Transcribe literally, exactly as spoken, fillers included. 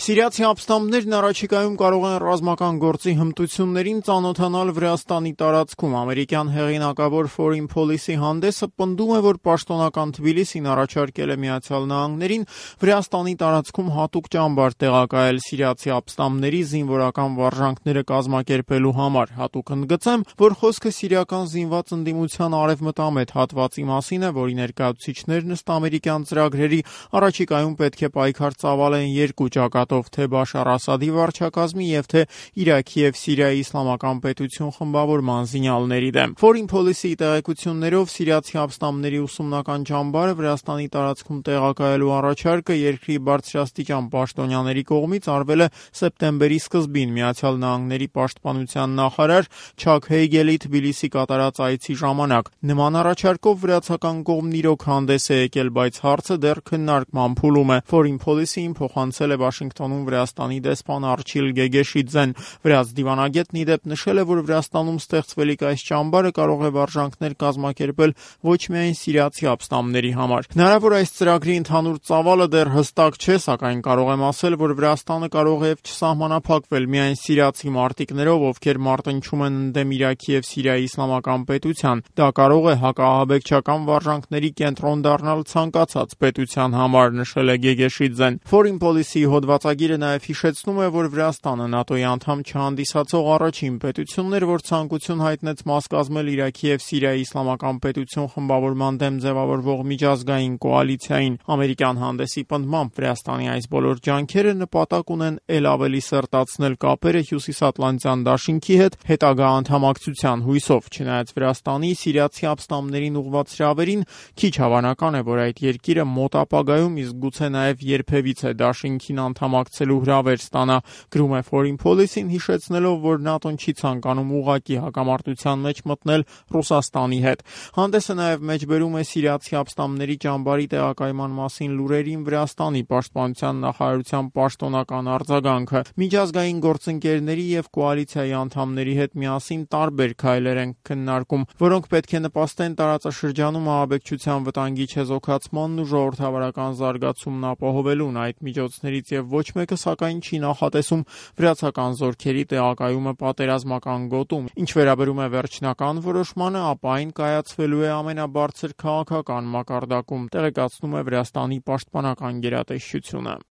Սիրիացի ապստամբներն առաջիկայում կարող են ռազմական գործի հմտություններին ծանոթանալ Վրաստանի տարածքում։ Ամերիկյան հեղինակավոր Foreign Policy հանդեսը պնդում է, որ պաշտոնական Թբիլիսին առաջարկել է Միացյալ Նահանգներին Վրաստանի տարածքում հատուկ ճամբար տեղակայել սիրիացի ապստամբների զինվորական վարժանքները կազմակերպելու համար։ Հատուկ ընդգծեմ, որ խոսքը սիրիական զինված ընդդիմության արևմտամետ հատվածի մասին է, որի ներկայացուցիչներն ըստ ամերիկյան ծրագրերի առաջիկայում պետք է պայքար ծավալեն երկու ճակատով, թե Բաշար Ասադի վարչակազմի եւ թե Իրաքի եւ Սիրիայի իսլամական պետություն խմբավորման զինյալների դեմ։ Foreign Policy-ի տեղեկություններով սիրիացի ապստամբների ուսումնական ճամբարը Վրաստանի տարածքում տեղակայելու առաջարկը երկրի բարձրաստիճան պաշտոնյաների կողմից արվել է սեպտեմբերի սկզբին Միացյալ Նահանգների պաշտպանության նախարար Չակ Հեյգելի Թբիլիսի կատարած այցի ժամանակ։ Նման առաջարկով վրացական կողմն իրոք հանդես է եկել, բայց հարցը դեռ քննարկման փուլում է։ Foreign Policy-ին փոխանցել է Վաշինգտոնում Վրաստանի դեսպան Արչիլ Գեգեշիձեն։ Վրաց դիվանագետն ի դեպ նշել է, որ Վրաստանում ստեղծվելիք այս ճամբարը կարող է վարժանքներ կազմակերպել ոչ միայն սիրիացի ապստամբների համար։ Հնարավոր այս ծրագրի ընդհանուր ծավալը դեռ հստակ չէ, սակայն կարող եմ ասել, որ Վրաստանը կարող է չսահմանափակվել միայն սիրիացի մարտիկներով, ովքեր մարտնչում են ընդդեմ Իրաքի եւ Սիրիայի իսլամական պետության։ Դա կարող է հակաահաբեկչական վարժանքների կենտրոն դառնալ ցանկացած պետության համար, նշել է Գեգեշիձեն։ Foreign Policy-ի հոդվածագիրը նաև հիշեցնում է, որ Վրաստանը ՆԱՏՕ-ի անդամ չհանդիսացող առաջին պետությունն էր, որ ցանկություն հայտնեց մաս կազմել Իրաքի եւ Սիրիայի իսլամական պետություն խմբավորման դեմ ձևավորվող միջազգային կոալիցիային։ Ամերիկյան հանդեսի պնդմամբ Վրաստանի այս բոլոր ջանքերը նպատակ ունեն ել ավելի սերտացնել կապերը Հյուսիսատլանտյան դաշինքի հետ հետագա անդամակցության հույսով։ Չնայած Վրաստանի սիրիացի ապստամբներին ուղղված հրավերին, քիչ հավանական է, որ այդ երկիրը մոտ ապագայում, իսկ գուցե նաև երբևիցե դաշինքին անդամակցելու հրավեր ստանա, գրում է Foreign Policy-ն, հիշեցնելով, որ ՆԱՏՕ-ն չի ցանկանում ուղղակի հակամարտության մեջ մտնել Ռուսաստանի հետ։ Հանդեսը նաև մեջբերում է սիրիացի ապստամբների ճամբարի տեղակայման մասին լուրերին Վրաստանի պաշտպանության նախարարության պաշտոնական արձագանքը։ Միջազգային գործընկերների եւ կոալիցիայի անդամների հետ միասին տարբեր քայլեր են քննարկում, որոնք պետք է նպաստեն տարածաշրջանում ահաբեկչության վտանգի չեզոքացմանն ու ժողովրդավարական զարգացումն ապահովելուն։ Այդ միջոցներից եւ ոչ մեկը սակայն չի նախատեսում վրացական զորքերի տեղակայումը պատերազմական գոտում։ Ինչ վերաբերում է վերջնական որոշմանը, ապա այն կայացվելու է ամենաբարձր քաղաքական մակարդակում, տեղեկացնում է Վրաստանի պաշտպանական գերատեսչությունը։